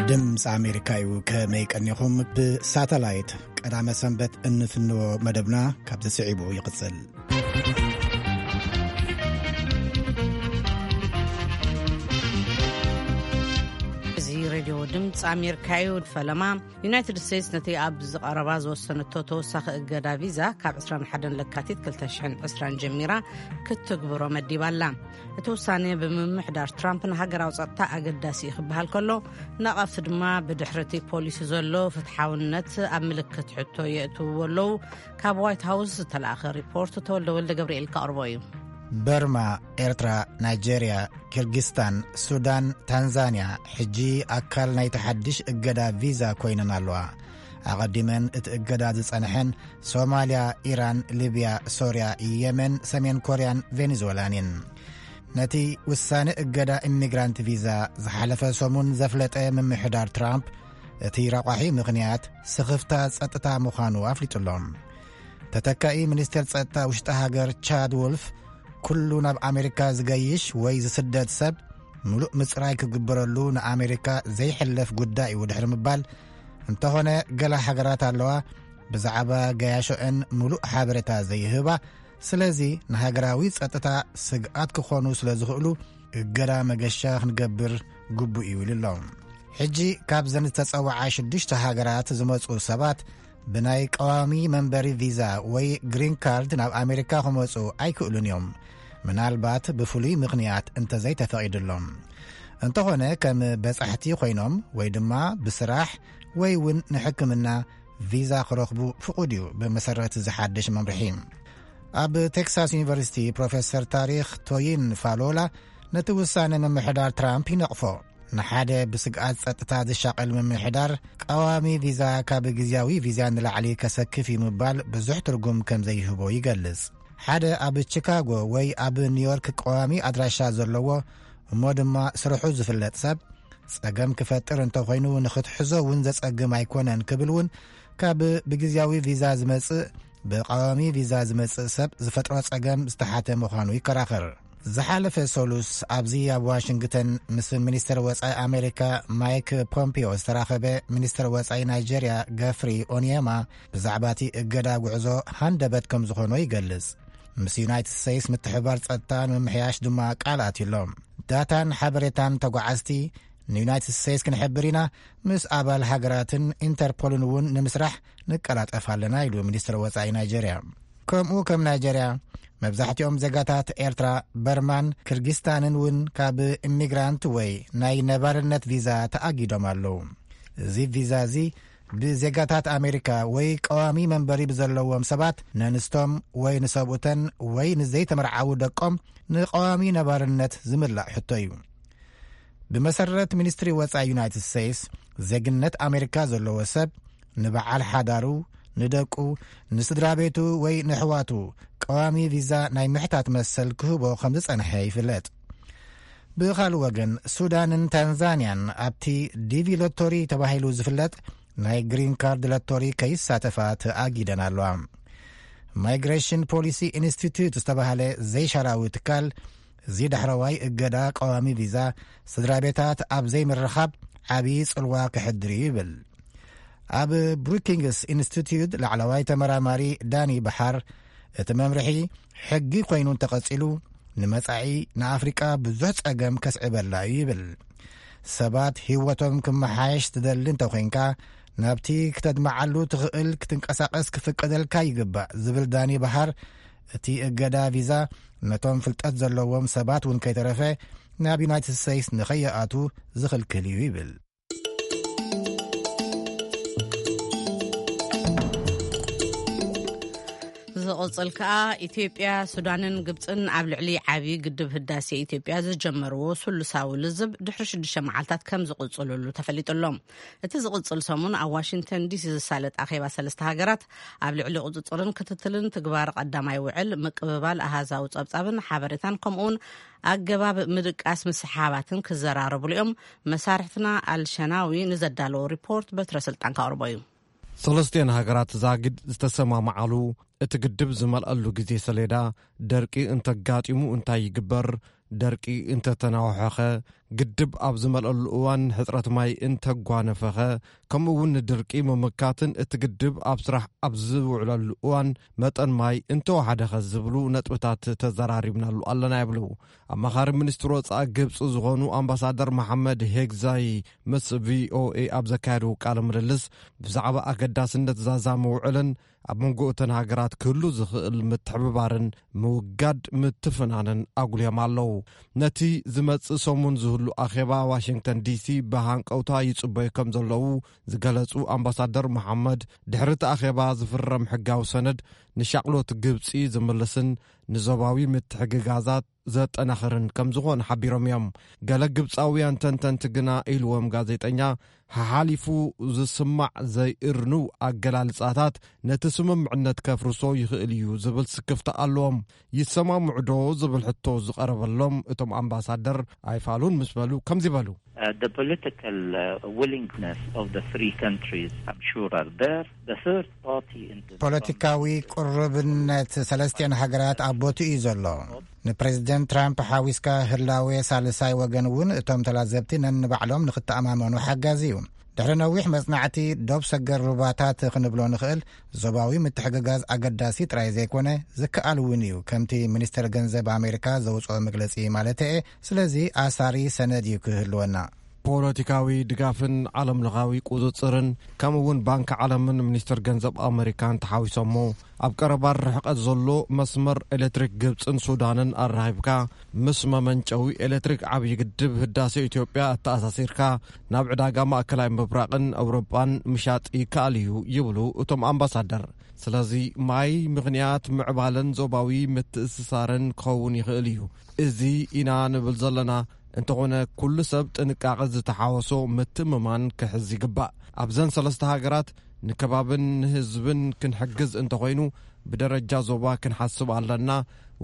ድምፂ ኣሜሪካ እዩ። ከመይ ቀኒኹም? ብሳተላይት ቀዳመ ሰንበት እንፍንዎ መደብና ካብዚ ስዒቡ ይቕፅል። እዚ ሬድዮ ድምፂ ኣሜሪካ እዩ። ፈለማ፣ ዩናይትድ ስቴትስ ነቲ ኣብ ዝቐረባ ዝወሰነቶ ተወሳኺ እገዳ ቪዛ ካብ ዕስራን ሓደን ለካቲት ክልተ ሽሕን ዕስራን ጀሚራ ክትትግብሮ መዲባ ኣላ። እቲ ውሳኔ ብምምሕዳር ትራምፕ ንሃገራዊ ጸጥታ ኣገዳሲ እዩ ክበሃል ከሎ፣ ነቐፍቲ ድማ ብድሕሪ እቲ ፖሊሲ ዘሎ ፍትሓውነት ኣብ ምልክት ሕቶ የእትውዎ ኣለዉ። ካብ ዋይት ሃውስ ዝተላእኸ ሪፖርት ተወልደ ወልደ ገብርኤል ከቕርቦ እዩ። በርማ፣ ኤርትራ፣ ናይጄርያ፣ ኪርጊስታን፣ ሱዳን፣ ታንዛንያ ሕጂ ኣካል ናይቲ ሓድሽ እገዳ ቪዛ ኮይነን ኣለዋ። ኣቐዲመን እቲ እገዳ ዝጸንሐን ሶማልያ፣ ኢራን፣ ሊብያ፣ ሶርያ፣ የመን፣ ሰሜን ኮርያን ቬኔዙዌላን እየን። ነቲ ውሳነ እገዳ ኢሚግራንት ቪዛ ዝሓለፈ ሰሙን ዘፍለጠ ምምሕዳር ትራምፕ፣ እቲ ረቋሒ ምኽንያት ስኽፍታ ጸጥታ ምዃኑ ኣፍሊጡ ኣሎ። ተተካኢ ሚኒስትር ጸጥታ ውሽጢ ሃገር ቻድ ውልፍ፣ ኩሉ ናብ ኣሜሪካ ዝገይሽ ወይ ዝስደድ ሰብ ምሉእ ምጽራይ ክግበረሉ ንኣሜሪካ ዘይሕለፍ ጉዳይ እዩ ድሕሪ ምባል፣ እንተኾነ ገለ ሃገራት ኣለዋ ብዛዕባ ገያሾአን ምሉእ ሓበሬታ ዘይህባ፣ ስለዚ ንሃገራዊ ጸጥታ ስግኣት ክኾኑ ስለ ዝኽእሉ እገዳ መገሻ ክንገብር ግቡእ እዩ ኢሉ ኣሎ። ሕጂ ካብዘን ዝተጸውዓ ሽዱሽተ ሃገራት ዝመጹ ሰባት ብናይ ቀዋሚ መንበሪ ቪዛ ወይ ግሪን ካርድ ናብ ኣሜሪካ ክመጹ ኣይክእሉን እዮም፣ ምናልባት ብፍሉይ ምኽንያት እንተዘይተፈቒዱሎም። እንተኾነ ከም በጻሕቲ ኮይኖም ወይ ድማ ብስራሕ ወይ እውን ንሕክምና ቪዛ ክረኽቡ ፍቑድ እዩ ብመሰረት ዝሓድሽ መምርሒ። ኣብ ቴክሳስ ዩኒቨርሲቲ ፕሮፌሰር ታሪኽ ቶይን ፋሎላ ነቲ ውሳነ ምምሕዳር ትራምፕ ይነቕፎ። ንሓደ ብስግኣት ጸጥታ ዝሻቐል ምምሕዳር ቀዋሚ ቪዛ ካብ ግዝያዊ ቪዛ ንላዕሊ ከሰክፍ እዩ ምባል ብዙሕ ትርጉም ከም ዘይህቦ ይገልጽ። ሓደ ኣብ ቺካጎ ወይ ኣብ ኒውዮርክ ቀዋሚ ኣድራሻ ዘለዎ እሞ ድማ ስርሑ ዝፍለጥ ሰብ ጸገም ክፈጥር እንተኾይኑ ንኽትሕዞ እውን ዘጸግም ኣይኮነን ክብል እውን ካብ ብግዝያዊ ቪዛ ዝመጽእ ብቀዋሚ ቪዛ ዝመጽእ ሰብ ዝፈጥሮ ጸገም ዝተሓተ ምዃኑ ይከራኸር። ዝሓለፈ ሰሉስ ኣብዚ ኣብ ዋሽንግተን ምስ ሚኒስትር ወጻኢ ኣሜሪካ ማይክ ፖምፒዮ ዝተራኸበ ሚኒስትር ወጻኢ ናይጄርያ ገፍሪ ኦኒየማ ብዛዕባ እቲ እገዳ ጉዕዞ ሃንደበት ከም ዝኾኖ ይገልጽ። ምስ ዩናይትድ ስቴትስ ምትሕብባር ጸጥታ ንምምሕያሽ ድማ ቃል ኣትዩ ኣሎ። ዳታን ሓበሬታን ተጓዓዝቲ ንዩናይትድ ስቴትስ ክንሕብር ኢና፣ ምስ ኣባል ሃገራትን ኢንተርፖልን እውን ንምስራሕ ንቀላጠፍ ኣለና ኢሉ ሚኒስትር ወጻኢ ናይጄርያ። ከምኡ ከም ናይጄርያ መብዛሕትኦም ዜጋታት ኤርትራ፣ በርማን ክርጊስታንን እውን ካብ ኢሚግራንት ወይ ናይ ነባርነት ቪዛ ተኣጊዶም ኣለዉ። እዚ ቪዛ እዚ ብዜጋታት ኣሜሪካ ወይ ቀዋሚ መንበሪ ብዘለዎም ሰባት ነንስቶም ወይ ንሰብኡተን ወይ ንዘይተመርዓዉ ደቆም ንቀዋሚ ነባርነት ዝምላእ ሕቶ እዩ። ብመሰረት ሚኒስትሪ ወጻኢ ዩናይትድ ስቴትስ፣ ዜግነት ኣሜሪካ ዘለዎ ሰብ ንበዓል ሓዳሩ፣ ንደቁ፣ ንስድራ ቤቱ ወይ ንኣሕዋቱ ቀዋሚ ቪዛ ናይ ምሕታት መሰል ክህቦ ከም ዝጸንሐ ይፍለጥ። ብኻልእ ወገን፣ ሱዳንን ታንዛንያን ኣብቲ ዲቪ ሎቶሪ ተባሂሉ ዝፍለጥ ናይ ግሪን ካርድ ሎቶሪ ከይሳተፋ ተኣጊደን ኣለዋ። ማይግሬሽን ፖሊሲ ኢንስቲትዩት ዝተባህለ ዘይሻራዊ ትካል፣ እዚ ዳሕረዋይ እገዳ ቀዋሚ ቪዛ ስድራ ቤታት ኣብ ዘይምርኻብ ዓብዪ ጽልዋ ከሕድር እዩ ይብል። ኣብ ብሩኪንግስ ኢንስቲትዩት ላዕለዋይ ተመራማሪ ዳኒ በሓር፣ እቲ መምርሒ ሕጊ ኮይኑ እንተቐጺሉ ንመጻኢ ንኣፍሪቃ ብዙሕ ጸገም ከስዕበላ እዩ ይብል። ሰባት ህይወቶም ክመሓየሽ ትደሊ እንተኾይንካ፣ ናብቲ ክተድምዓሉ ትኽእል ክትንቀሳቐስ ክፍቀደልካ ይግባእ ዝብል ዳኒ በሃር፣ እቲ እገዳ ቪዛ ነቶም ፍልጠት ዘለዎም ሰባት እውን ከይተረፈ ናብ ዩናይትድ ስቴትስ ንኸይኣቱ ዝኽልክል እዩ ይብል። ዝቕጽል ከኣ፣ ኢትዮጵያ፣ ሱዳንን ግብጽን ኣብ ልዕሊ ዓብዪ ግድብ ህዳሴ ኢትዮጵያ ዝጀመርዎ ስሉሳዊ ልዝብ ድሕሪ ሽዱሽተ መዓልታት ከም ዝቕጽልሉ ተፈሊጡ ኣሎ። እቲ ዝቕጽል ሰሙን ኣብ ዋሽንግተን ዲሲ ዝሳለጥ ኣኼባ ሰለስተ ሃገራት ኣብ ልዕሊ ቁጽጽርን ክትትልን ትግባር ቀዳማይ ውዕል ምቅብባል ኣሃዛዊ ጸብጻብን ሓበሬታን ከምኡውን ኣገባብ ምድቃስ ምስሓባትን ክዘራረብሉ እዮም። መሳርሕትና ኣልሸናዊ ንዘዳለዎ ሪፖርት በትረ ስልጣን ከቕርቦ እዩ። ሰለስቲኤን ሃገራት ዛጊድ ዝተሰማማዓሉ እቲ ግድብ ዝመልኣሉ ግዜ ሰሌዳ፣ ደርቂ እንተጋጢሙ እንታይ ይግበር፣ ደርቂ እንተተናውሐኸ ግድብ ኣብ ዝመልአሉ እዋን ሕፅረት ማይ እንተጓነፈኸ፣ ከምኡ እውን ንድርቂ ምምካትን እቲ ግድብ ኣብ ስራሕ ኣብ ዝውዕለሉ እዋን መጠን ማይ እንተወሓደኸ ዝብሉ ነጥብታት ተዘራሪብናሉ ኣለና ይብሉ። ኣማኻሪ ሚኒስትር ወፃኢ ግብፂ ዝኾኑ ኣምባሳደር መሓመድ ሄግዛይ ምስ ቪኦኤ ኣብ ዘካየዱ ቃለ ምልልስ፣ ብዛዕባ ኣገዳስነት ዛዛ ምውዕልን ኣብ መንጎ እተን ሃገራት ክህሉ ዝኽእል ምትሕብባርን ምውጋድ ምትፍናንን ኣጉልዮም ኣለዉ። ነቲ ዝመጽእ ሰሙን ዝህሉ ኣኼባ ዋሽንግተን ዲሲ ብሃንቀውታ ይጽበዩ ከም ዘለዉ ዝገለጹ ኣምባሳደር መሓመድ፣ ድሕሪ እቲ ኣኼባ ዝፍረም ሕጋዊ ሰነድ ንሻቕሎት ግብጺ ዝምልስን ንዞባዊ ምትሕግጋዛት ዘጠናኽርን ከም ዝኾነ ሓቢሮም እዮም። ገለ ግብጻውያን ተንተንቲ ግና፣ ኢልዎም ጋዜጠኛ፣ ሓሓሊፉ ዝስማዕ ዘይእርንው ኣገላልጻታት ነቲ ስምምዕነት ከፍርሶ ይኽእል እዩ ዝብል ስክፍታ ኣለዎም። ይሰማምዑ ዶ ዝብል ሕቶ ዝቐረበሎም እቶም ኣምባሳደር፣ ኣይፋሉን ምስ በሉ ከምዚ በሉ። Uh, the political uh, willingness of the three countries, I'm sure, are there. The third party in this ፖለቲካዊ ቁርብነት ሰለስቲኦን ሃገራት ኣብ ቦትኡ እዩ ዘሎ። ንፕሬዚደንት ትራምፕ ሓዊስካ ህላዌ ሳልሳይ ወገን እውን እቶም ተላዘብቲ ነንባዕሎም ንክተኣማመኑ ሓጋዚ እዩ። ድሕሪ ነዊሕ መጽናዕቲ፣ ዶብ ሰገር ሩባታት ክንብሎ ንኽእል፣ ዞባዊ ምትሕግጋዝ ኣገዳሲ ጥራይ ዘይኮነ፣ ዝከኣል እውን እዩ፣ ከምቲ ሚኒስተር ገንዘብ ኣሜሪካ ዘውጽኦ መግለጺ ማለት እየ። ስለዚ ኣሳሪ ሰነድ እዩ ክህልወና። ፖለቲካዊ ድጋፍን ዓለምለኻዊ ቁጽጽርን፣ ከምኡ እውን ባንኪ ዓለምን ሚኒስተር ገንዘብ ኣሜሪካን ተሓዊሶሞ፣ ኣብ ቀረባ ርሕቀት ዘሎ መስመር ኤሌክትሪክ ግብጽን ሱዳንን ኣራኺብካ፣ ምስ መመንጨዊ ኤሌክትሪክ ዓብዪ ግድብ ህዳሴ ኢትዮጵያ ኣተኣሳሲርካ፣ ናብ ዕዳጋ ማእከላይ ምብራቕን ኣውሮጳን ምሻጥ ይከኣል እዩ ይብሉ እቶም ኣምባሳደር። ስለዚ ማይ ምኽንያት ምዕባለን ዞባዊ ምትእስሳርን ክኸውን ይኽእል እዩ። እዚ ኢና ንብል ዘለና። እንተኾነ፣ ኩሉ ሰብ ጥንቃቐ ዝተሓወሶ ምትእምማን ክሕዝ ይግባእ። ኣብዘን ሰለስተ ሃገራት ንከባብን ንህዝብን ክንሕግዝ እንተኾይኑ፣ ብደረጃ ዞባ ክንሓስብ ኣለና።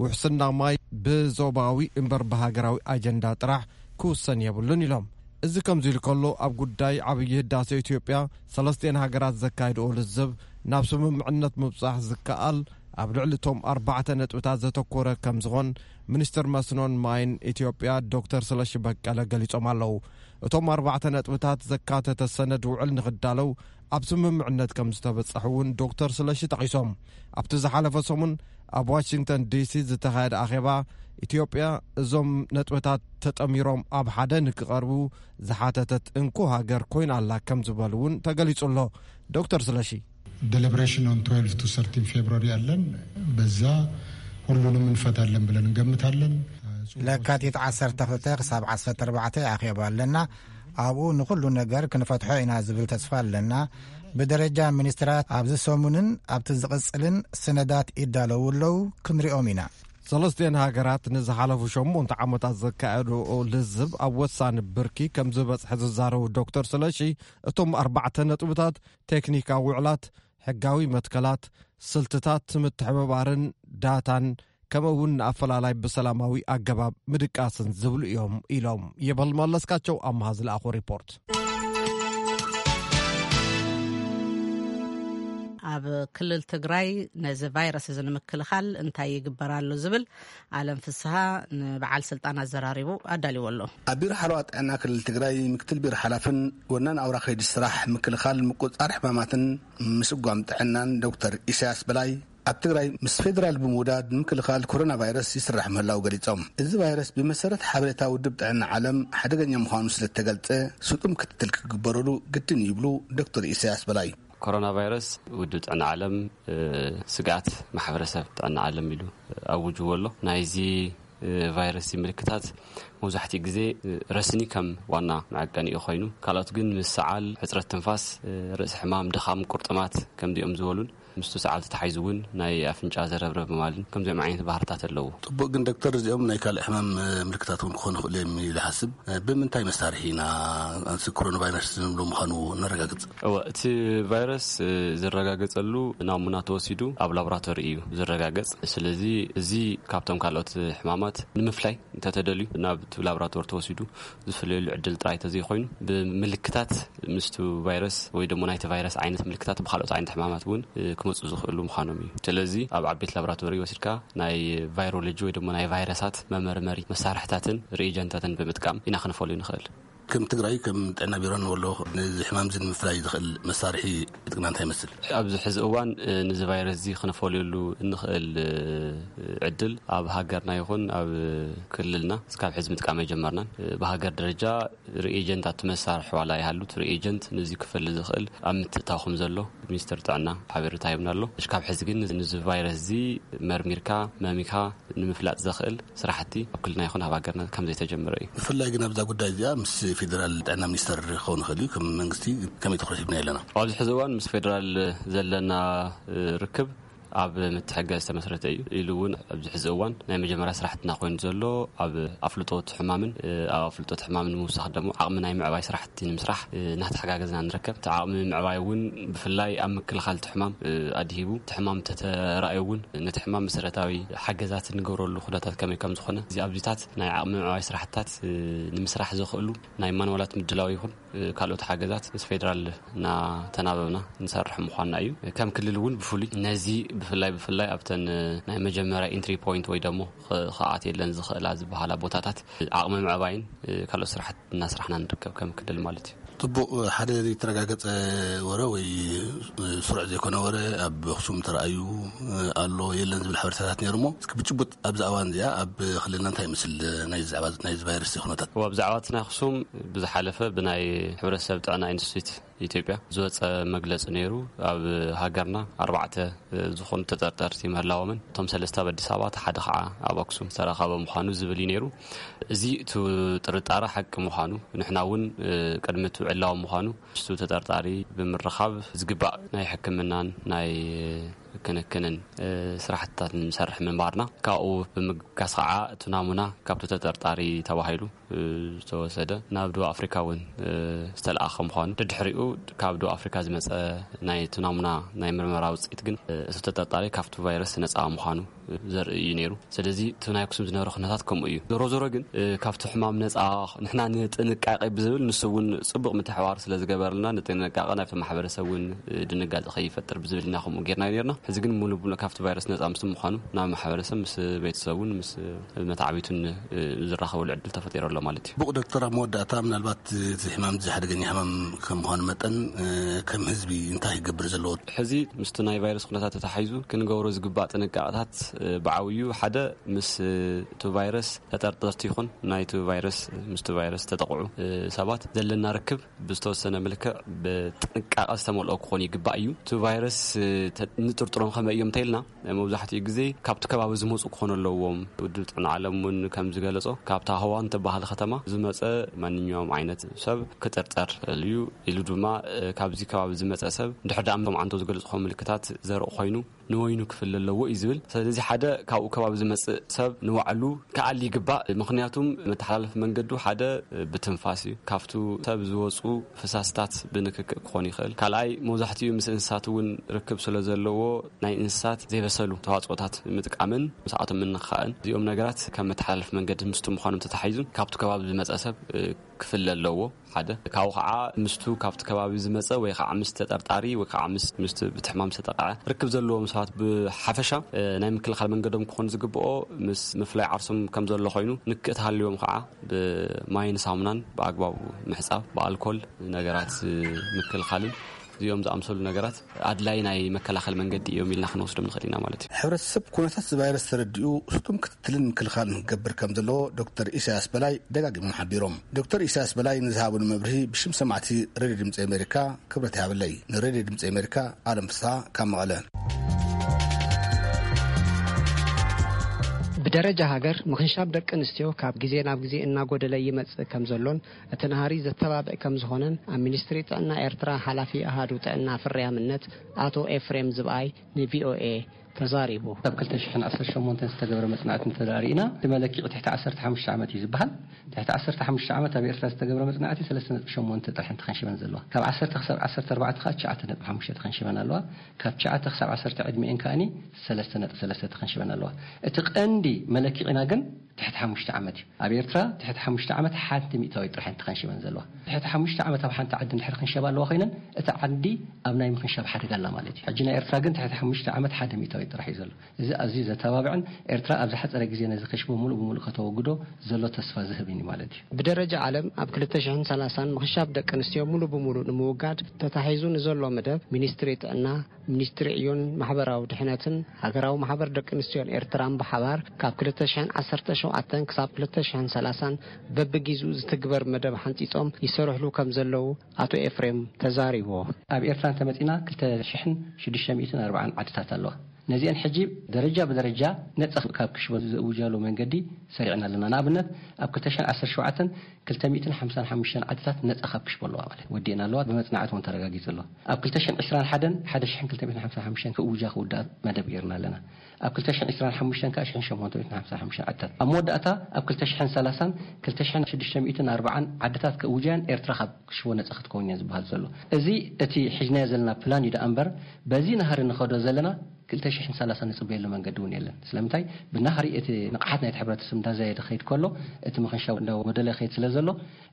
ውሕስና ማይ ብዞባዊ እምበር ብሃገራዊ ኣጀንዳ ጥራሕ ክውሰን የብሉን ኢሎም። እዚ ከምዚ ኢሉ ከሎ፣ ኣብ ጉዳይ ዓብዪ ህዳሴ ኢትዮጵያ ሰለስቲኤን ሃገራት ዘካይድኦ ልዝብ ናብ ስምምዕነት ምብጻሕ ዝከኣል ኣብ ልዕሊ እቶም ኣርባዕተ ነጥብታት ዘተኮረ ከም ዝኾን ሚኒስትር መስኖን ማይን ኢትዮጵያ ዶክተር ስለሺ በቀለ ገሊጾም ኣለዉ። እቶም ኣርባዕተ ነጥብታት ዘካተተ ሰነድ ውዕል ንኽዳለው ኣብ ስምምዕነት ከም ዝተበጻሕ እውን ዶክተር ስለሺ ጠቒሶም። ኣብቲ ዝሓለፈ ሰሙን ኣብ ዋሽንግተን ዲሲ ዝተኻየደ ኣኼባ፣ ኢትዮጵያ እዞም ነጥብታት ተጠሚሮም ኣብ ሓደ ንክቐርቡ ዝሓተተት እንኮ ሃገር ኮይና ኣላ ከም ዝበሉ እውን ተገሊጹ ኣሎ። ዶክተር ስለሺ፣ Deliberation on twelve to thirteen February ኣለን። በዛ ሁሉንም እንፈታለን ብለን እንገምታለን። ለካቲት ዓሰርተ ክልተ ክሳብ ዓሰርተ ኣርባዕተ ኣኼባ ኣለና። ኣብኡ ንኹሉ ነገር ክንፈትሖ ኢና ዝብል ተስፋ ኣለና። ብደረጃ ሚኒስትራት ኣብዚ ሰሙንን ኣብቲ ዝቕጽልን ሰነዳት ይዳለዉ ኣለዉ፣ ክንሪኦም ኢና። ሰለስቲኤን ሃገራት ንዝሓለፉ ሸሞንተ ዓመታት ዘካየድኦ ልዝብ ኣብ ወሳኒ ብርኪ ከም ዝበጽሐ ዝዛረቡ ዶክተር ስለሺ፣ እቶም ኣርባዕተ ነጥብታት ቴክኒካዊ ውዕላት፣ ሕጋዊ መትከላት፣ ስልትታት ምትሕብባርን ዳታን፣ ከምኡ እውን ንኣፈላላይ ብሰላማዊ ኣገባብ ምድቃስን ዝብሉ እዮም ኢሎም ይበል መለስካቸው ኣምሃ ዝለኣኾ ሪፖርት። ኣብ ክልል ትግራይ ነዚ ቫይረስ እዚ ንምክልኻል እንታይ ይግበር ኣሎ ዝብል ኣለም ፍስሃ ንበዓል ስልጣን ኣዘራሪቡ ኣዳልዎ ኣሎ። ኣብ ቢሮ ሓለዋ ጥዕና ክልል ትግራይ ምክትል ቢሮ ሓላፍን ወናን ኣውራ ከይዲ ስራሕ ምክልኻል ምቁፅፃር ሕማማትን ምስጓም ጥዕናን ዶክተር ኢሳያስ በላይ፣ ኣብ ትግራይ ምስ ፌዴራል ብምውዳድ ንምክልኻል ኮሮና ቫይረስ ይስራሕ ምህላው ገሊጾም። እዚ ቫይረስ ብመሰረት ሓበሬታ ውድብ ጥዕና ዓለም ሓደገኛ ምዃኑ ስለተገልጸ፣ ስጡም ክትትል ክግበረሉ ግድን ይብሉ ዶክተር ኢሳያስ በላይ። ኮሮና ቫይረስ ውድብ ጥዕና ዓለም፣ እ፣ ስግኣት ማሕበረሰብ ጥዕና ዓለም ኢሉ ኣውጅዎ ኣሎ። ናይዚ፣ እ፣ ቫይረስ ምልክታት መብዛሕትኡ ግዜ፣ እ፣ ረስኒ ከም ዋና መዐቀኒኡ ኮይኑ፣ ካልኦት ግን ምስ ሰዓል፣ ሕጽረት ትንፋስ፣ እ፣ ርእሲ ሕማም፣ ድኻም፣ ቁርጥማት ከምዚኦም ዝበሉን፣ ምስቱ ሰዓል ተታሒዙ እውን ናይ ኣፍንጫ ዘረብረብ ምባልን ከምዚኦም ዓይነት ባህርታት ኣለዎ። ጽቡቕ፣ ግን ዶክተር፣ እዚኦም ናይ ካልእ ሕማም፣ እ፣ ምልክታት እውን ክኾኑ ይኽእሉ እዮም ኢለ ይሓስብ። እ፣ ብምንታይ መሳርሒ ኢና እዚ ኮሮና ቫይረስ ንብሎ ምዃኑ ነረጋግጽ? እወ፣ እቲ ቫይረስ፣ እ፣ ዝረጋገጸሉ ናሙና ተወሲዱ ኣብ ላቦራቶሪ እዩ ዝረጋገጽ። ስለዚ እዚ ካብቶም ካልኦት ሕማማት ንምፍላይ እንተተደልዩ ናብ እቲ ላቦራቶሪ ተወሲዱ ዝፍለየሉ ዕድል ጥራይ ተዘይኮይኑ፣ ብምልክታት ምስቱ ቫይረስ ወይ ደሞ ናይቲ ቫይረስ ዓይነት ምልክታት ብኻልኦት ዓይነት ሕማማት እውን፣ እ፣ ክመፁ ዝኽእሉ ምዃኖም እዩ። ስለዚ ኣብ ዓበይቲ ላቦራቶሪ ወሲድካ ናይ ቫይሮሎጂ ወይ ድማ ናይ ቫይረሳት መመርመሪ መሳርሕታትን ሪኤጀንታትን ብምጥቃም ኢና ክንፈልዩ ንኽእል። ከም ትግራይ፣ ከም ጥዕና ቢሮን ወሎ፣ ነዚ ሕማም እዚ ንምፍላይ ዝኽእል መሳርሒ ዕጥቅና እንታይ ይመስል? ኣብዚ ሕዚ እዋን፣ እ፣ ነዚ ቫይረስ እዚ ክነፈልየሉ እንኽእል፣ እ፣ ዕድል ኣብ ሃገርና ይኹን ኣብ ክልልና እስካብ ሕዚ ምጥቃም ኣይጀመርናን። እ፣ ብሃገር ደረጃ ሪኤጀንት ኣቲ መሳርሒ ዋላ ይሃሉት፣ ሪኤጀንት ነዚ ክፈሊ ዝኽእል ኣብ ምትእታው ከም ዘሎ ሚኒስትር ጥዕና ሓበሬታ ሂብና ኣሎ። እስካብ ሕዚ ግን ነዚ ቫይረስ እዚ መርሚርካ፣ መሚኻ ንምፍላጥ ዘኽእል ስራሕቲ ኣብ ክልልና ይኹን ኣብ ሃገርና ከም ዘይተጀመረ እዩ። ብፍላይ ግን ኣብዛ ጉዳይ እዚኣ ምስ ፌደራል ጥዕና ሚኒስተር ክኸውን ይኽእል እዩ። ከም መንግስቲ ከመይ ትኹረት ሂብና ኣለና? ኣብዚ ሕዚ እዋን ምስ ፌደራል ዘለና፣ እ፣ ርክብ ኣብ ምትሕግጋዝ ዝተመስረተ እዩ። ኢሉ እውን ኣብዚ ሕዚ እዋን ናይ መጀመርያ ስራሕትና ኮይኑ ዘሎ ኣብ ኣፍልጦ እቲ ሕማምን፣ እ፣ ኣብ ኣፍልጦ እቲ ሕማምን ንምውሳኽ ደግሞ ዓቕሚ ናይ ምዕባይ ስራሕቲ ንምስራሕ፣ እ፣ እናተሓጋገዝና ንርከብ። እቲ ዓቕሚ ምዕባይ እውን ብፍላይ ኣብ ምክልኻል እቲ ሕማም፣ እ፣ ኣድሂቡ፣ እቲ ሕማም እንተተራእዩ እውን ነቲ ሕማም መሰረታዊ ሓገዛት እንገብረሉ ኩነታት ከመይ ከም ዝኾነ፣ እዚ ኣብዚታት ናይ ዓቕሚ ምዕባይ ስራሕትታት፣ እ፣ ንምስራሕ ዘኽእሉ ናይ ማንዋላት ምድላው ይኹን፣ እ፣ ካልኦት ሓገዛት ምስ ፌደራል እናተናበብና ንሰርሕ ምዃንና እዩ። ከም ክልል እውን ብፍሉይ ነዚ ብፍላይ፣ ብፍላይ ኣብተን፣ እ፣ ናይ መጀመርያ ኢንትሪ ፖይንት ወይ ደሞ ኸ-፣ ከኣት የለን ዝኽእላ ዝበሃላ ቦታታት ዓቕሚ ምዕባይን፣ እ፣ ካልኦት ስራሕቲ እናስራሕና ንርከብ ከም ክልል ማለት እዩ። ጽቡቕ፣ ሓደ ዘይተረጋገጸ ወረ ወይ ስሩዕ ዘይኮነ ወረ ኣብ ኣኽሱም ተራእዩ ኣሎ የለን ዝብል ሓበሬታታት ነይሩ እሞ፣ እስኪ ብጭቡጥ ኣብዚ እዋን እዚኣ ኣብ ክልልና እንታይ ይመስል ናይ ዛዕባ ናይዚ ቫይረስ ኩነታት? እዋ፣ ብዛዕባ እቲ ናይ ኣኽሱም ብዝሓለፈ ብናይ ሕብረተሰብ ጥዕና ኢንስቲትዩት ኢትዮጵያ ዝወፀ መግለፂ ነይሩ። ኣብ ሃገርና ኣርባዕተ ዝኾኑ ተጠርጠርቲ ምህላዎምን እቶም ሰለስተ ኣብ ኣዲስ ኣበባ፣ እቲ ሓደ ከዓ ኣብ ኣክሱም ዝተረኸበ ምዃኑ ዝብል እዩ ነይሩ። እዚ እቲ ጥርጣረ ሓቂ ምዃኑ፣ ንሕና እውን፣ እ፣ ቅድሚ እቲ ዕላዊ ምዃኑ ምስቱ ተጠርጣሪ ብምርኻብ ዝግባእ ናይ ሕክምናን ናይ ክንክንን፣ እ፣ ስራሕትታት ንሰርሕ ምንባርና፣ ካብኡ ብምብጋስ ከዓ እቲ ናሙና ካብቲ ተጠርጣሪ ተባሂሉ፣ እ፣ ዝተወሰደ ናብ ደቡብ ኣፍሪካ እውን፣ እ፣ ዝተለኣኸ ምዃኑ፣ ደድሕሪኡ ካብ ደቡብ ኣፍሪካ ዝመፀ ናይ እቲ ናሙና ናይ ምርመራ ውፅኢት ግን፣ እ፣ እቲ ተጠርጣሪ ካብቲ ቫይረስ ነፃ ምዃኑ ዘርኢ እዩ ነይሩ። ስለዚ እቲ ናይ ኣክሱም ዝነበረ ኩነታት ከምኡ እዩ። ዞሮ ዞሮ ግን፣ እ፣ ካብቲ ሕማም ነፃ ንሕና ንጥንቃቄ ብዝብል ንሱ እውን ፅቡቕ ምትሕባር ስለ ዝገበረልና ንጥንቃቄ ናብቲ ማሕበረሰብ እውን፣ እ፣ ድንጋፂ ከይፈጥር ብዝብል ኢና ከምኡ ጌርና ነርና። ሕዚ ግን ሙሉ ብሙሉ ካብቲ ቫይረስ ነፃ ምስ ምዃኑ ናብ ማሕበረሰብ ምስ ቤተሰቡን ምስ መተዓቢቱን፣ እ፣ ዝራኸበሉ ዕድል ተፈጢሩ ኣሎ ማለት እዩ። ብቑ ዶክተር፣ ኣብ መወዳእታ ምናልባት እቲ ሕማም እዚ ሓደገኛ ሕማም ከም ምዃኑ መጠን፣ እ፣ ከም ህዝቢ እንታይ ክገብር ዘለዎ? ሕዚ ምስቲ ናይ ቫይረስ ኩነታት ተታሒዙ ክንገብሮ ዝግባእ ጥንቃቄታት፣ እ፣ ብዓብዩ ሓደ ምስ፣ እ፣ እቲ ቫይረስ ተጠርጠርቲ ይኹን ናይቲ ቫይረስ፣ ምስቲ ቫይረስ ተጠቕዑ፣ እ፣ ሰባት ዘለና ርክብ ብዝተወሰነ መልክዕ ብጥንቃቐ ዝተመልኦ ክኾን ይግባእ እዩ። እቲ ቫይረስ፣ እ፣ ተ-፣ ንጥርጥሮም ከመይ እዮም እንተኢልና፣ መብዛሕትኡ ግዜ ካብቲ ከባቢ ዝመፁ ክኾኑ ኣለዎም። ውድብ ጥዕና ዓለም እውን ከም ዝገለጾ፣ ካብታ ሆዋን ትበሃል ከተማ ዝመፀ ማንኛውም ዓይነት ሰብ ክጥርጠር እዩ ኢሉ ድማ፣ እ፣ ካብዚ ከባቢ ዝመፀ ሰብ ድሕር ደኣ እቶም ዓንቶ ዝገልጽ ምልክታት ዘርኢ ኮይኑ ንወይኑ ክፍለ ኣለዎ እዩ ዝብል። ስለዚ ሓደ ካብኡ ከባቢ ዝመጽእ ሰብ ንባዕሉ ክኣሊ ይግባእ። ምኽንያቱም መተሓላለፊ መንገዱ ሓደ ብትንፋስ እዩ። ካብቱ ሰብ ዝወጹ ፍሳስታት ብንክክእ ክኾን ይኽእል። ካልኣይ መብዛሕትኡ ምስ እንስሳት እውን ርክብ ስለ ዘለዎ ናይ እንስሳት ዘይበሰሉ ተዋጽኦታት ምጥቃምን ምስኣቶም ምንኻእን እዚኦም ነገራት ከም መተሓላለፊ መንገዲ ምስቱ ምዃኖም ተታሒዙ ካብቱ ከባቢ ዝመጸ ሰብ ክፍለ ኣለዎ። ሓደ ካብኡ ከዓ ምስቱ ካብቲ ከባቢ ዝመፀ ወይ ከዓ ምስ ተጠርጣሪ ወይ ከዓ ምስ ምስቲ ብቲ ሕማም ዝተጠቕዐ ርክብ ዘለዎም ሰባት ብሓፈሻ፣ እ፣ ናይ ምክልኻል መንገዶም ክኾን ዝግብኦ ምስ ምፍላይ ዓርሶም ከም ዘሎ ኮይኑ ንክእ ተሃልዮም ከዓ ብማይን ሳሙናን ብኣግባቡ ምሕፃብ ብኣልኮል ነገራት ምክልኻልን እዚኦም ዝኣምሰሉ ነገራት ኣድላይ ናይ መከላኸሊ መንገዲ እዮም ኢልና ክንወስዶም ንኽእል ኢና ማለት እዩ። ሕብረተሰብ ኩነታት እዚ ቫይረስ ተረዲኡ ስጡም ክትትልን ምክልኻልን ክገብር ከም ዘለዎ ዶክተር ኢሳያስ በላይ ደጋጊሞም ሓቢሮም። ዶክተር ኢሳያስ በላይ ንዝሃቡን መብርሂ ብሽም ሰማዕቲ ሬድዮ ድምፂ ኣሜሪካ ክብረት ይሃበለይ። ንሬድዮ ድምፂ ኣሜሪካ ኣለም ፍስሃ ካብ መቐለ። ብደረጃ ሃገር ምኽንሻብ ደቂ ኣንስትዮ ካብ ግዜ ናብ ግዜ እናጎደለ ይመጽእ ከም ዘሎን እቲ ናህሪ ዘተባብዕ ከም ዝኾነን ኣብ ሚኒስትሪ ጥዕና ኤርትራ ሓላፊ ኣሃዱ ጥዕና ፍርያምነት ኣቶ ኤፍሬም ዝብኣይ ንቪኦኤ ተዛሪቡ። ካብ ክልተ ሽሕን ዓሰርተ ሸሞንተን ዝተገብረ መጽናዕቲ እንተ ደኣ ርኢና፣ እቲ መለክዒ ትሕቲ ዓሰርተ ሓሙሽተ ዓመት እዩ ዝበሃል። ትሕቲ ዓሰርተ ሓሙሽተ ዓመት ኣብ ኤርትራ ዝተገብረ መጽናዕቲ ሰለስተ ነጥቢ ሸሞንተ ጥራሕ እየን ተኸንሺበን ዘለዋ። ካብ ዓሰርተ ክሳብ ዓሰርተ ኣርባዕተ ከኣ ትሽዓተ ነጥቢ ሓሙሽተ ተኸንሺበን ኣለዋ። ካብ ትሽዓተ ክሳብ ዓሰርተ ዕድሚኤን ከኣኒ ሰለስተ ነጥቢ ሰለስተ ተኸንሺበን ኣለዋ። እቲ ቀንዲ መለክዒና ግን ትሕቲ ሓሙሽተ ዓመት እዩ። ኣብ ኤርትራ ትሕቲ ሓሙሽተ ዓመት ሓንቲ ሚእታዊት ጥራሕ እየን ተኸንሽበን ዘለዋ። ትሕቲ ሓሙሽተ ዓመት ኣብ ሓንቲ ዓዲ እንድሕር ክንሸባ ኣለዋ ኮይነን፣ እታ ዓዲ ኣብ ናይ ምኽንሻብ ሓደጋ ኣላ ማለት እዩ። ሕጂ ናይ ኤርትራ ግን ትሕቲ ሓሙሽተ ዓመት ሓደ ሚእታዊት ጥራሕ እዩ ዘሎ። እዚ ኣዝዩ ዘተባብዕን ኤርትራ ኣብ ዝሓጸረ ግዜ ነዚ ክሽቦ ሙሉእ ብሙሉእ ከተወግዶ ዘሎ ተስፋ ዝህብን እዩ ማለት እዩ። ብደረጃ ዓለም ኣብ ክልተ ሽሕን ሰላሳን ምኽንሻብ ደቂ ኣንስትዮ ሙሉእ ብሙሉእ ንምውጋድ ተታሒዙ ንዘሎ መደብ፣ ሚኒስትሪ ጥዕና፣ ሚኒስትሪ ዕዮን ማሕበራዊ ድሕነትን ሃገራዊ ማሕበር ደቂ ኣንስትዮን ኤርትራን ብሓባር ካብ ክልተ ሽሕን ዓሰርተ ሸውዓተን ክሳብ ክልተ ሽሕን ሰላሳን በብጊዜኡ ዝትግበር መደብ ሓንጺጾም ይሰርሕሉ ከም ዘለዉ ኣቶ ኤፍሬም ተዛሪቡ። ኣብ ኤርትራ እንተመጺና ክልተ ሽሕን ሽዱሽተ ሚእትን ኣርባዓን ዓድታት ኣለዋ። ነዚአን ሕጂ ደረጃ ብደረጃ ነጻ ካብ ክሽቦ ዘእውጃሉ መንገዲ ሰሪዕና ኣለና። ንኣብነት፣ ኣብ ክልተ ሽሕን ዓሰርተ ሸውዓተን ክልተ ሚእትን ሓምሳን ሓሙሽተን ዓድታት ነጻ ካብ ክሽቦ ኣለዋ ማለት ወዲእና ኣለዋ፣ ብመጽናዕቲ እውን ተረጋጊጹ ኣለዋ። ኣብ ክልተ ሽሕን ዕስራን ሓደን ሓደ ሽሕን ክልተ ሚእትን ሓምሳን ሓሙሽተን ክእውጃ ክውዳእ መደብ ጌርና ኣለና። ኣብ ክልተ ሽሕን ዕስራን ሓሙሽተን ከኣ ሽሕን ሸሞንተ ሚእትን ሓምሳን ሓሙሽተን ዓድታት። ኣብ መወዳእታ ኣብ ክልተ ሽሕን ሰላሳን ክልተ ሽሕን ሽዱሽተ ሚእትን ኣርባዓን ዓድታት ክእውጃን ኤርትራ ካብ ክሽቦ ነጻ ክትከውን እያ ዝበሃል ዘሎ። እዚ እቲ ሒዝናዮ ዘለና ፕላን እዩ ደኣ እምበር፣ በዚ ናህሪ ንኸዶ ዘለና ክልተ ሽሕን ሰላሳን ንጽበየሉ መንገዲ እውን የለን። ስለምንታይ? ብናህሪ እቲ ንቕሓት ናይቲ ሕብረተሰብ እንዳዛየደ ከይድ ከሎ፣ እቲ ምኽንሻብ እንዳጎደለ ከይድ ስለ ዘሎ፣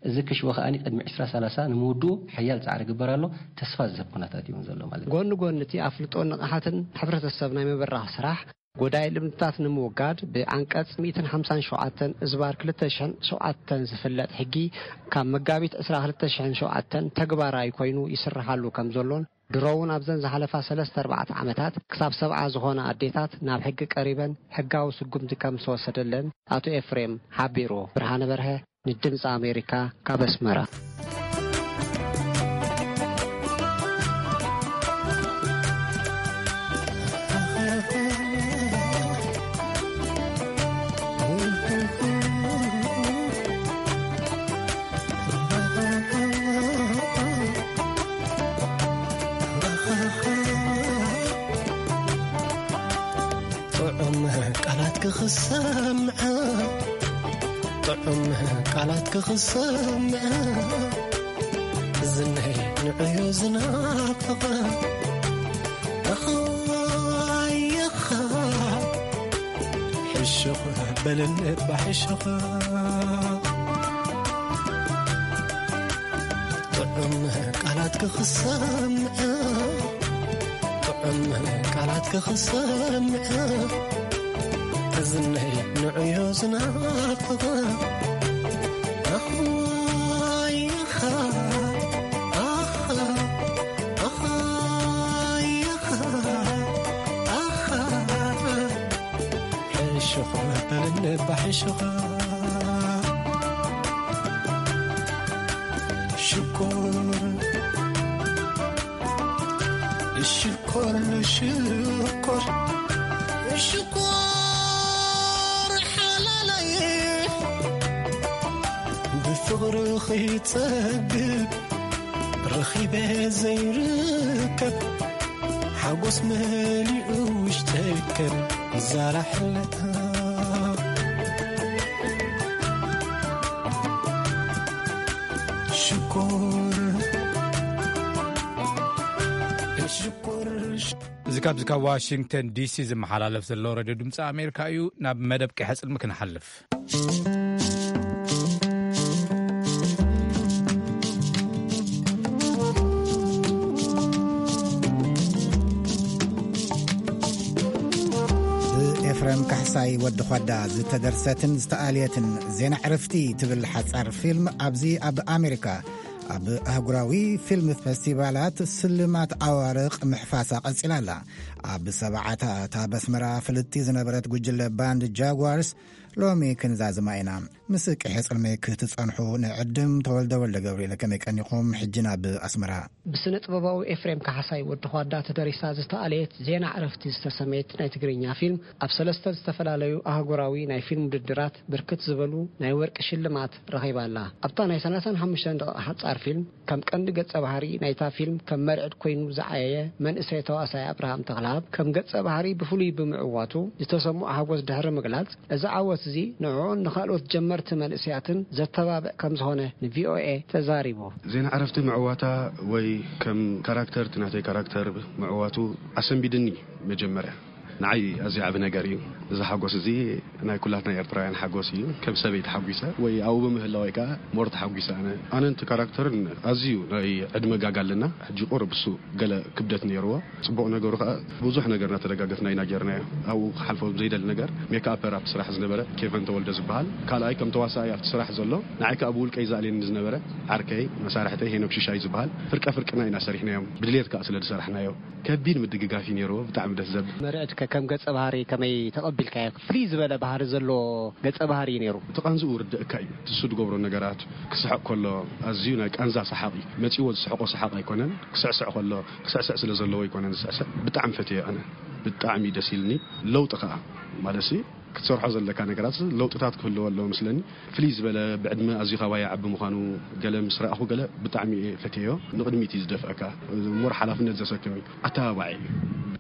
እዚ ክሽቦ ከኣ ቅድሚ ዕስራ ሰላሳ ንምውድኡ ሓያል ጻዕሪ ይግበር ኣሎ። ተስፋ ዝህብ ኩነታት እዩ እውን ዘሎ ማለት እዩ። ጎኒ ጎኒ እቲ ኣፍልጦን ንቕሓትን ሕብረተሰብ ናይ ምብራኽ ስራሕ፣ ጎዳኢ ልምድታት ንምውጋድ ብዓንቀጽ ሚእትን ሓምሳን ሸውዓተን እዝባር ክልተ ሽሕን ሸውዓተን ዝፍለጥ ሕጊ ካብ መጋቢት ዕስራ ክልተ ሽሕን ሸውዓተን ተግባራዊ ኮይኑ ይስርሓሉ ከም ዘሎን ድሮ እውን ኣብዘን ዝሓለፋ ሰለስተ ኣርባዕተ ዓመታት ክሳብ ሰብዓ ዝኾና ኣዴታት ናብ ሕጊ ቀሪበን ሕጋዊ ስጉምቲ ከም ዝተወሰደለን ኣቶ ኤፍሬም ሓቢሩ። ብርሃነ በርሀ ንድምፂ ኣሜሪካ ካብ ኣስመራ። ጥዑም ቃላት ክኽሰምዐ፣ ጥዑም ቃላት ክኽሰምዐ፣ ዝነይ ንዕዮ ዝናፍቐ። ኣኻይኻ ሕሹኽ በልን እባ ሕሹኽ። ጥዑም ቃላት ክኽሰምዐ፣ ጥዑም ቃላት ክኽሰምዐ፣ እዝነይ ንዕዮ ዝናፍቐ። ኣኻይኻ፣ ኣኻ፣ ኣኻይኻ፣ ኣኻ። ሕሹኽ በልን እባ ሕሹኽ። ሽኮር፣ ሽኮር፣ ሽኮር፣ ሽኮር ሓላለይ፣ ብፍቕሪ ኺጸግብ ረኺበ ዘይርከብ፣ ሓጎስ መሊኡ ውሽጠይ ከም ዛራ ሕለታ። ሽኮር፣ ሽኮር። እዚ ካብዚ ካብ ዋሽንግተን ዲሲ ዝመሓላለፍ ዘሎ ሬድዮ ድምፂ ኣሜሪካ እዩ። ናብ መደብ ቀይሐ ጽልሚ ክንሓልፍ። ብኤፍሬም ካሕሳይ ወዲ ዃዳ ዝተደርሰትን ዝተኣልየትን ዜና ዕርፍቲ ትብል ሓጻር ፊልም ኣብዚ ኣብ ኣሜሪካ ኣብ ኣህጉራዊ ፊልም ፈስቲቫላት ስልማት ኣዋርቕ ምሕፋሳ ቀጺላ ኣላ። ኣብ ሰብዓታት ኣብ ኣስመራ ፍልጥቲ ዝነበረት ጉጅለ ባንድ ጃጓርስ ሎሚ ክንዛዝማ ኢና። ምስ ቅሒ ጽልመይ ክትጸንሑ ንዕድም። ተወልደ ወልደ ገብርኤል፣ ከመይ ቀኒኹም? ሕጂ ናብ ኣስመራ። ብስነ ጥበባዊ ኤፍሬም ካሕሳይ ወዲ ኳዳ ተደሪሳ ዝተኣለየት ዜና ዕረፍቲ ዝተሰመየት ናይ ትግርኛ ፊልም ኣብ ሰለስተ ዝተፈላለዩ ኣህጉራዊ ናይ ፊልም ውድድራት ብርክት ዝበሉ ናይ ወርቂ ሽልማት ረኺባ ኣላ። ኣብታ ናይ ሰላሳን ሓሙሽተን ደቂቕ ሓጻር ፊልም ከም ቀንዲ ገጸ ባህሪ ናይታ ፊልም ከም መርዕድ ኮይኑ ዝዓየየ መንእሰይ ተዋሳይ ኣብርሃም ተኽለኣብ ከም ገጸ ባህሪ ብፍሉይ ብምዕዋቱ ዝተሰምዖ ሓጎስ ድሕሪ ምግላጽ፣ እዚ ዓወት እዚ ንዕኡን ንኻልኦት ጀመርቲ መንእሰያትን ዘተባብዕ ከም ዝኾነ ንቪኦኤ ተዛሪቡ። ዜና ዕረፍቲ ምዕዋታ ወይ ከም ካራክተር፣ እቲ ናተይ ካራክተር ምዕዋቱ ኣሰንቢድኒ መጀመርያ። ንዓይ ኣዝዩ ዓቢ ነገር እዩ። እዚ ሓጎስ እዚ ናይ ኩላትና ኤርትራውያን ሓጎስ እዩ። ከም ሰበይቲ ሓጒሰ ወይ ኣብኡ ብምህላወይ ከኣ ሞር ተሓጒሰ ኣነ። ኣነን እቲ ካራክተርን ኣዝዩ ናይ ዕድመ ጋግ ኣለና። ሕጂ ቁሩብ እሱ ገለ ክብደት ነይርዎ። ጽቡቕ ነገሩ ከኣ ብዙሕ ነገር እናተደጋገፍና ኢና ጌርናዮ። ኣብኡ ክሓልፎ ዘይደሊ ነገር ሜክኣፐር ኣብቲ ስራሕ ዝነበረ ኬቨን ተወልደ ዝበሃል ካልኣይ ከም ተዋሳኣይ ኣብቲ ስራሕ ዘሎ ንዓይ ከኣ ብውልቀይ ዘኣልየኒ ዝነበረ ዓርከይ መሳርሕተይ ሄኖክ ሽሻይ ዝበሃል ፍርቀ ፍርቅና ኢና ሰሪሕናዮም። ብድሌት ከኣ ስለ ዝሰራሕናዮ። ከቢድ ምድግጋፍ እዩ ነይርዎ። ብጣዕሚ ደስ ዘብል። መርዕትከ ከም ገጸ ባህሪ ከመይ ተቐቢልካዮ? ፍልይ ዝበለ ባህሪ ዘለዎ ገጸ ባህሪ እዩ ነይሩ። እቲ ቃንዝኡ ርድእካ እዩ። እቲ እሱ ዝገብሮ ነገራት ክስሕቕ ከሎ ኣዝዩ ናይ ቃንዛ ሰሓቕ እዩ። መጺዎ ዝስሕቆ ሰሓቕ ኣይኮነን። ክስዕስዕ ከሎ ክስዕስዕ ስለ ዘለዎ ኣይኮነን ዝስዕስዕ። ብጣዕሚ ፈትየ ኣነ። ብጣዕሚ ደስ ኢልኒ። ለውጢ ከኣ ማለት ክትሰርሖ ዘለካ ነገራት ለውጥታት ክህልዎ ኣለዎ ምስለኒ። ፍልይ ዝበለ ብዕድመ ኣዝዩ ካባይ ዓቢ ምዃኑ ገለ ምስ ረኣኹ ገለ ብጣዕሚ እየ ፈትየዮ። ንቕድሚት እዩ ዝደፍአካ። እሙር ሓላፍነት ዘሰክም እዩ። ኣተባባዒ እዩ።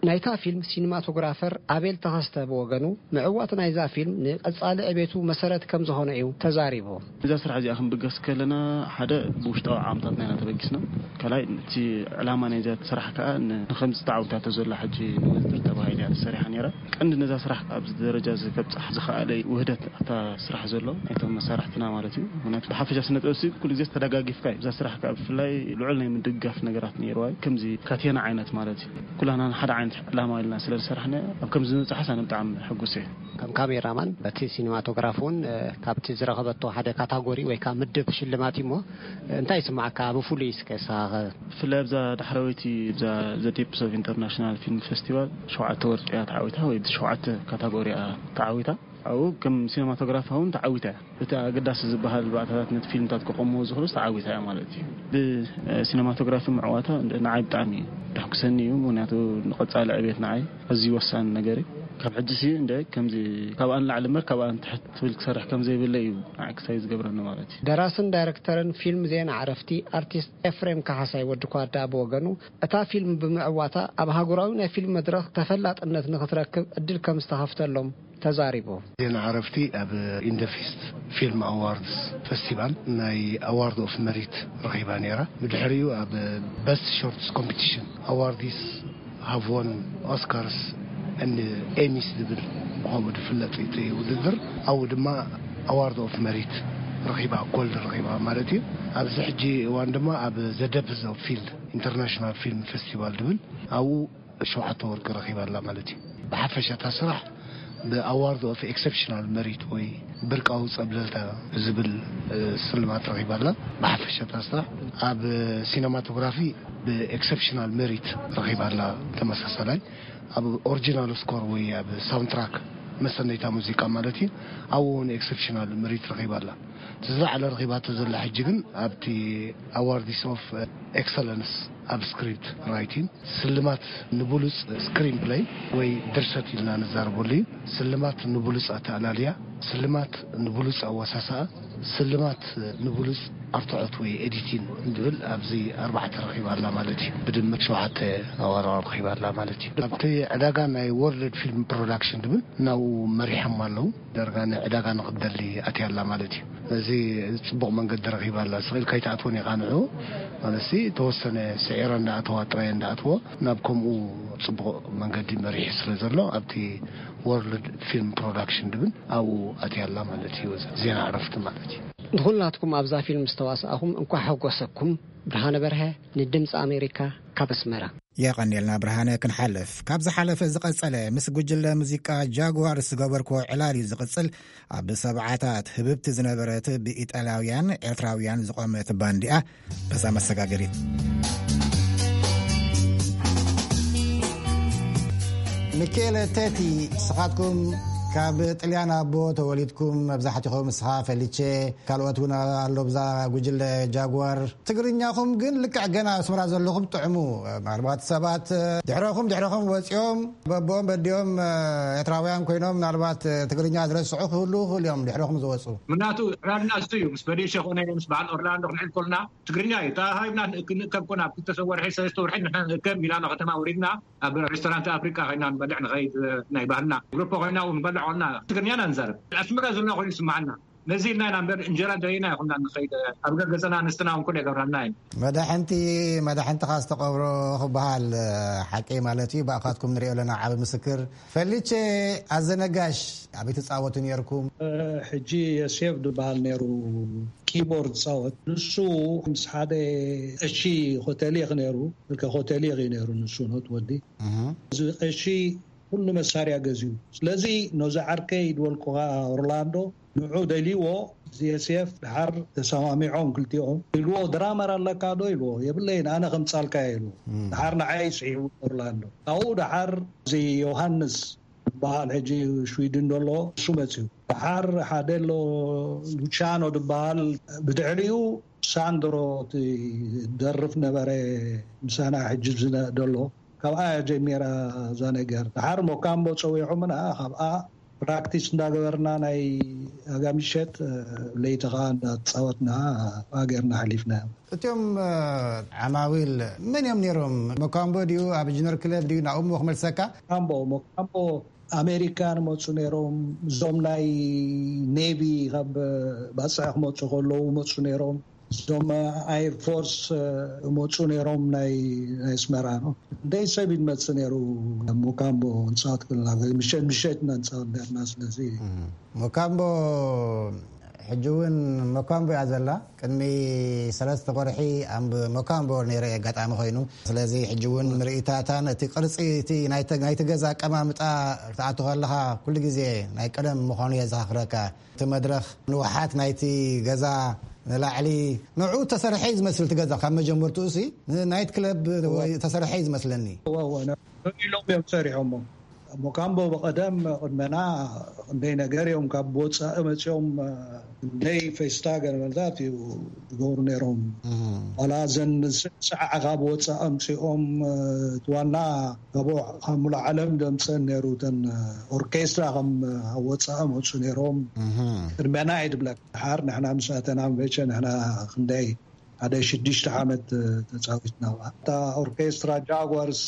ናይታ ፊልም ሲኒማቶግራፈር ኣቤል ተኸስተ ብወገኑ፣ ምዕዋት ናይዛ ፊልም ንቐጻሊ ዕቤቱ መሰረት ከም ዝኾነ እዩ ተዛሪቡ። እዛ ስራሕ እዚኣ ክንብገስ ከለና ሓደ ብውሽጣዊ ዓቕምታትና ኢና ተበጊስና። ካልኣይ እቲ ዕላማ ናይዛ ስራሕ ከኣ ን-፣ ንኸምዚ ተዓዊታቶ ዘላ ሕጂ ንውድድር ተባሂላ እያ ተሰሪሓ ነይራ። ቀንዲ ነዛ ስራሕ ኣብዚ ደረጃ እዚ ከብጽሕ ዝኸኣለ ውህደት ኣብታ ስራሕ ዘሎ ናይቶም መሳርሕትና ማለት እዩ። ምክንያቱ ብሓፈሻ ስነ ጥበብ ሲ ኩሉ ግዜ ተደጋጊፍካ እዩ። እዛ ስራሕ ከኣ ብፍላይ ልዑል ናይ ምድግጋፍ ነገራት ነይርዋ እዩ። ከምዚ ካቴና ዓይነት ማለት እዩ። ኩላና ንሓደ ዓይነት ዕላማ ኢልና ስለ ዝሰራሕና ኣብ ከምዚ ምብጻሕስ ኣነ ብጣዕሚ ሕጉስ እየ። ከም ካሜራማን በቲ ሲኒማቶግራፍ እውን፣ እ፣ ካብቲ ዝረኸበቶ ሓደ ካታጎሪ ወይ ከዓ ምድብ ሽልማት እዩ እሞ፣ እ፣ እንታይ ይስማዓካ ብፍሉይ እስከ ንስኻ ኸ? ብፍላይ ኣብዛ ዳሕረወይቲ እዛ ዘ ዴፕስ ኦፍ ኢንተርናሽናል ፊልም ፌስቲቫል ሸውዓተ ወርቂ እያ ተዓዊታ ወይ ብሸውዓተ ካታጎሪ እያ ተዓዊታ። ኣብኡ ከም ሲነማቶግራፍ እውን ተዓዊታ እያ። እቲ ኣገዳሲ ዝበሃል ባእታታት ነቲ ፊልምታት ክቐምዎ ዝኽእሉስ ተዓዊታ እያ ማለት እዩ። ብሲነማቶግራፊ ምዕዋታ ንዓይ ብጣዕሚ ደሕጉሰኒ እዩ። ምክንያቱ ንቐጻሊ ዕቤት ንዓይ ኣዝዩ ወሳኒ ነገር እዩ። ካብ ሕጂ ሲ እንደ ከምዚ ካብኣ ንላዕሊ እምበር ካብኣ ንትሕት ትብል ክሰርሕ ከም ዘይብለ እዩ ንዓይ ክሳይ ዝገብረኒ ማለት እዩ። ደራስን ዳይረክተርን ፊልም ዜና ዕረፍቲ ኣርቲስት ኤፍሬም ካሕሳይ ወዲ ኳዳ ብወገኑ፣ እታ ፊልም ብምዕዋታ ኣብ ሃገራዊ ናይ ፊልም መድረኽ ተፈላጥነት ንኽትረክብ ዕድል ከም ዝተኸፍተሎም ተዛሪቡ። ዜና ዕረፍቲ ኣብ ኢንደፊስት ፊልም ኣዋርድስ ፌስቲቫል ናይ ኣዋርድ ኦፍ መሪት ረኺባ ነይራ። ብድሕሪኡ ኣብ በስት ሾርትስ ኮምፒቲሽን ኣዋርዲስ ሃቭ ወን ኦስካርስ ኤንድ ኤሚስ ዝብል ብኸምኡ ዝፍለጥ እቲ ውድድር ኣብኡ ድማ ኣዋርድ ኦፍ መሪት ረኺባ፣ ጎልድ ረኺባ ማለት እዩ። ኣብዚ ሕጂ እዋን ድማ ኣብ ዘ ደፕዝ ኦፍ ፊልድ ኢንተርናሽናል ፊልም ፌስቲቫል ዝብል ኣብኡ ሸውዓተ ወርቂ ረኺባ ኣላ ማለት እዩ። ብሓፈሻ እታ ስራሕ ብኣዋርድ ኦፍ ኤክሰፕሽናል መሪት ወይ ብርቃዊ ጸብለልታ ዝብል፣ እ፣ ስልማት ረኺባ ኣላ። ብሓፈሻ እታ ስራሕ ኣብ ሲነማቶግራፊ ብኤክሰፕሽናል መሪት ረኺባ ኣላ። ተመሳሳላይ ኣብ ኦሪጂናል ስኮር ወይ ኣብ ሳውንድትራክ መሰነይታ ሙዚቃ ማለት እዩ። ኣብኡ እውን ኤክሰፕሽናል መሪት ረኺባ ኣላ። እቲ ዝለዓለ ረኺባቶ ዘላ ሕጂ ግን ኣብቲ ኣዋርዲስ ኦፍ ኤክሰለንስ ኣብ ስክሪፕት ራይቲንግ፣ ስልማት ንብሉጽ ስክሪን ፕለይ ወይ ድርሰት ኢልና ንዛረበሉ እዩ። ስልማት ንብሉጽ ኣተኣላልያ፣ ስልማት ንብሉጽ ኣወሳስኣ፣ ስልማት ንብሉጽ ኣርትዖት ወይ ኤዲቲን እንድብል ኣብዚ ኣርባዕተ ረኺባ ኣላ ማለት እዩ። ብድምር ሸውዓተ ኣዋርድ ረኺባ ኣላ ማለት እዩ። ኣብቲ ዕዳጋ ናይ ወርልድ ፊልም ፕሮዳክሽን ድብል ናብኡ መሪሖም ኣለዉ። ዳርጋ ንዕዳጋ ንኽትደሊ ኣትያ ኣላ ማለት እዩ። እዚ ጽቡቕ መንገዲ ረኺባ ኣላ። ስቕ ኢልካ ኣይትኣትዎን ኢኻ ንዕኡ። ማለት ሲ ተወሰነ ስዒረ እንዳኣተዋ ጥራይ እንዳኣትዎ ናብ ከምኡ ጽቡቕ መንገዲ መሪሑ ስለ ዘሎ ኣብቲ ወርልድ ፊልም ፕሮዳክሽን ድብል ኣብኡ ኣትያ ኣላ ማለት እዩ። ዜና ዕረፍቲ ማለት እዩ። ንኹላትኩም ኣብዛ ፊልም ዝተዋሳእኹም እንኳዕ ሓጎሰኩም። ብርሃነ በርሀ ንድምፂ ኣሜሪካ ካብ ኣስመራ። የቐንየልና ብርሃነ። ክንሓልፍ ካብ ዝሓለፈ ዝቐጸለ ምስ ጉጅለ ሙዚቃ ጃጓር ዝገበርክዎ ዕላል እዩ ዝቕጽል። ኣብ ሰብዓታት ህብብቲ ዝነበረት ብኢጣልያውያን ኤርትራውያን ዝቖመት ባንዲኣ በዛ መሰጋገሪት። ሚኬለ ቴቲ፣ ንስኻትኩም ካብ ጥልያን ኣቦ ተወሊድኩም፣ መብዛሕትኹም ንስኻ ፈሊቼ፣ ካልኦት እውን ኣሎ ብዛ ጉጅለ ጃጓር። ትግርኛኹም ግን ልክዕ ገና ኣስመራ ዘለኹም ጥዕሙ። ምናልባት ሰባት ድሕረኹም ድሕረኹም ወፂኦም በቦኦም በዲኦም ኤርትራውያን ኮይኖም ምናልባት ትግርኛ ዝረስዑ ክህልዉ ይኽእሉ እዮም ድሕረኹም ዝወፁ። ምናቱ ዕላልና እሱ እዩ። ምስ በዴሸ ኮነ ምስ በዓል ኦርላንዶ ክንዕል ኮልና ትግርኛ እዩ። እታ ሃይብና ክንእከብ ኮና ኣብ ክልተ ወርሒ ሰለስተ ወርሒ ንሕና ንእከብ ሚላኖ ከተማ ወሪድና ኣብ ሬስቶራንት ኣፍሪቃ ኮይና ንበልዕ ንኸይድ ናይ ባህልና ግሩፕ ኮይና እውን ንበልዕ ኮልና ትግርኛ ኢና ንዛረብ። ኣስመራ ዘለና ኮይኑ ይስምዓና። ነዚ ኢልና ኢና እምበር እንጀራ ደይና ይኹንና ንኸይድ። ኣብ ገገዘና ኣንስትና እውን ኩሉ የገብረና እዩ። መዳሕንቲ፣ መዳሕንትኻ ዝተቐብሮ ክበሃል ሓቂ ማለት እዩ። ብኣኻትኩም ንሪኦ ኣለና ዓቢ ምስክር። ፈሊቼ ኣዘነጋሽ ኣበይ ትጻወቱ ነርኩም? ሕጂ የሴፍ ዝበሃል ነይሩ፣ ኪቦርድ ጻወት። ንሱ ምስ ሓደ ቀሺ ኮተሊኽ ነይሩ፣ ልከ ኮተሊኽ እዩ ነይሩ ንሱ ኖት ወዲ። እዚ ቀሺ ኩሉ መሳርያ ገዚኡ። ስለዚ ነዚ ዓርከይ ድበልኩኻ ኦርላንዶ ንዑ ደልይዎ፣ እዚ የሴፍ ድሓር ተሰማሚዖም ክልቲኦም። ኢልዎ፣ ድራመር ኣለካ ዶ ኢልዎ። የብለይን፣ ኣነ ከምጻልካ ኢልዎ። ድሓር ንዓይ ስዒቡ ኦርላንዶ። ካብኡ ድሓር እዚ ዮሃንስ ዝበሃል ሕጂ ሽዊድን ዘሎ እሱ መጽዩ። ድሓር ሓደ ኣሎ ሉቻኖ ዝበሃል፣ ብድሕሪኡ ሳንድሮ እቲ ደርፍ ነበረ ምሳና ሕጂ ዝነ-፣ ዘሎ። ካብኣ ጀሚራ እዛ ነገር። ድሓር ሞካምቦ ጸዊዖምና፣ ካብኣ ፕራክቲስ እንዳገበርና ናይ ኣጋምሸት፣ ለይቲ ኸዓ እንዳተጻወትና ኣብኣ ገርና ሓሊፍና። እቶም ዓማዊል መን እዮም ነይሮም? ሞካምቦ ድዩ? ኣብ ጅነር ክለብ ድዩ? ናብኡ ክመልሰካ። ሞካምቦ፣ ሞካምቦ ኣሜሪካ ንመፁ ነይሮም። እዞም ናይ ኔቪ ካብ ባፅዕ ክመፁ ከለዉ መፁ ነይሮም። እዞም ኣየር ፎርስ መፁ ነይሮም፣ ናይ ኣስመራ ነው። እንደይ ሰብ ይመፅ ነይሩ። ሞካምቦ ንፃወት ክልና ምሸት ምሸት ነንፃወት ነርና። ስለዚ ሞካምቦ ሕጂ እውን ሞካምቦ እያ ዘላ። ቅድሚ ሰለስተ ወርሒ ኣብ ሞካምቦ ነይረ ኣጋጣሚ ኮይኑ። ስለዚ ሕጂ እውን ምርኢታታን እቲ ቅርፂ እቲ ናይቲ ገዛ ኣቀማምጣ ክትኣቱ ከለኻ ኩሉ ግዜ ናይ ቀደም ምዃኑ የዘኻኽረካ። እቲ መድረኽ ንውሓት ናይቲ ገዛ ንላዕሊ ንዑ ተሰርሐ እዩ ዝመስል። እቲ ገዛ ካብ መጀመርትኡ ሲ ናይት ክለብ ተሰርሐ እዩ ዝመስለኒ። ኢሎም እዮም ሰሪሖሞ። ሞካምቦ ብቐደም ቅድመና ክንደይ ነገር እዮም ካብ ወፃኢ መፂኦም ክንደይ ፌስታ ገለመልታት እዩ ዝገብሩ ነይሮም። ዋላ እዘን ሰዓ ካብ ወፃኢ ኣምፂኦም እቲ ዋና ካብ ሙሉ ዓለም ዘምፀን ነይሩ። እተን ኦርኬስትራ ከም ወፃኢ መፁ ነይሮም። ቅድመና እዩ ድብለካ። ድሓር ንሕና ምስ ኣተና መቸ ንሕና ክንደይ ሓደ ሽዱሽተ ዓመት ተፃዊትና። እታ ኦርኬስትራ ጃጓርስ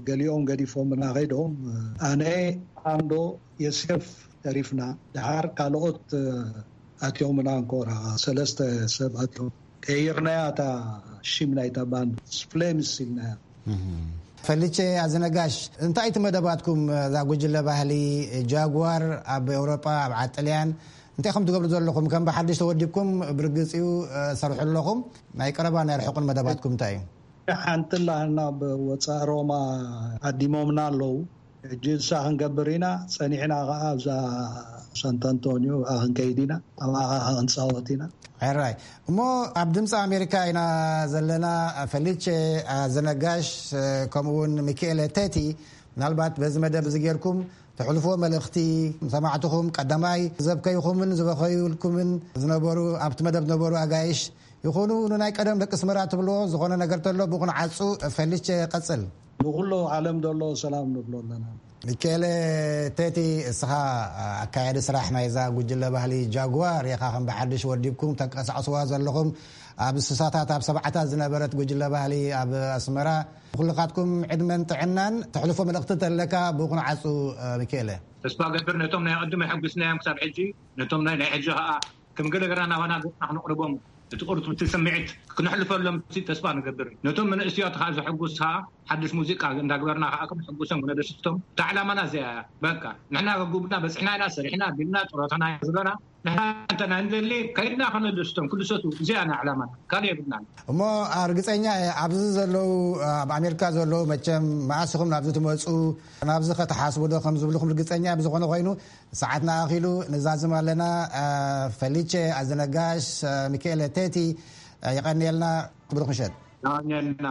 ገሊኦም ገዲፎምና ከይዶም፣ ኣነ፣ ኣንዶ፣ የሴፍ ተሪፍና። ድሓር ካልኦት ኣትዮምና እንኮራ ሰለስተ ሰብ ኣትዮም። ቀይርናያ እታ ሽም ናይታ ባንድ ፍሌምስ ኢልናያ። ፈሊቼ ኣዝነጋሽ፣ እንታይ እቲ መደባትኩም? እዛ ጉጅለ ባህሊ ጃጓር ኣብ ኤውሮጳ፣ ኣብ ዓጥልያን እንታይ ከም ትገብሩ ዘለኹም? ከም ብሓድሽ ተወዲብኩም ብርግጽ እዩ፣ ሰርሑ ኣለኹም። ናይ ቀረባ ናይ ርሑቕን መደባትኩም እንታይ እዩ? ሓንቲ ላህና ኣብ ወፃእ ሮማ ዓዲሞምና ኣለዉ። ሕጂ እሳ ክንገብር ኢና፣ ጸኒሕና ኸዓ ኣብዛ ሳንት ኣንቶኒዮ ኣብኣ ክንከይድ ኢና፣ ኣብኣ ኸዓ ክንጻወት ኢና። ሕራይ። እሞ ኣብ ድምፂ ኣሜሪካ ኢና ዘለና። ፈሊቼ ኣዘነጋሽ፣ ከምኡ እውን ሚካኤለ ቴቲ፣ ምናልባት በዚ መደብ እዚ ጌርኩም ተሕልፎ መልእኽቲ፣ ሰማዕትኹም ቀዳማይ ዘብከይኹምን ዝበኸዩልኩምን ዝነበሩ፣ ኣብቲ መደብ ዝነበሩ ኣጋይሽ ይኹኑ፣ ንናይ ቀደም ደቂ ኣስመራ ትብልዎ ዝኾነ ነገር ተሎ ብቑንዓፁ ፈሊቼ ቀጽል። ንኹሉ ዓለም ዘሎ ሰላም ንብሎ ኣለና። ሚካኤለ ቴቲ፣ እስኻ ኣካያዲ ስራሕ ናይዛ ጉጅለ ባህሊ ጃጓር ኢኻ። ከም ብሓድሽ ወዲብኩም ተንቀሳቕስዋ ዘለኹም፣ ኣብ ስሳታት ኣብ ሰብዓታት ዝነበረት ጉጅለ ባህሊ ኣብ ኣስመራ፣ ኩልኻትኩም ዕድመን ጥዕናን። ተሕልፎ መልእኽቲ ተለካ ብቑንዓፁ፣ ሚካኤለ። ተስፋ ገብር ነቶም ናይ ቅድም የሐጉስናዮም ክሳብ ሕጂ፣ ነቶም ናይ ናይ ሕጂ ኸዓ ከም ገለ ገራ ናባና ገጽና ክነቕርቦም፣ እቲ ቁርጡም እቲ ስምዒት ክነሕልፈሎም ተስፋ ንገብር። ነቶም መንእስያት ኸዓ ዘሐጉስ ኸዓ ሓድሽ ሙዚቃ እንዳግበርና ኸዓ ክነሐጉሶም ክነደስቶም። እታ ዕላማና እዚኣ እያ። በቃ ንሕና ከጉብና በጽሕና ኢና፣ ሰሪሕና፣ ቢልና፣ ጥሮታና ዘለና። ንሕና እንተ ናይ ንደሊ ከይድና ከነደስቶም ክድሰቱ። እዚኣ ናይ ዕላማና። ካልእ የብልናን። እሞ ርግጸኛ እየ ኣብዚ ዘለዉ፣ ኣብ ኣሜሪካ ዘለዉ መቸም መኣስ ኢኹም ናብዚ ትመጹ፣ ናብዚ ከተሓስቡ ዶ ከም ዝብልኩም ርግጸኛ እየ። ብዝኾነ ኮይኑ ሰዓትና ኣኺሉ ንዛዝም ኣለና። ፈሊቼ ኣዘነጋሽ፣ ሚካኤለ ቴቲ፣ የቐንየልና። ብሩኽ ምሸት። የቐንየልና።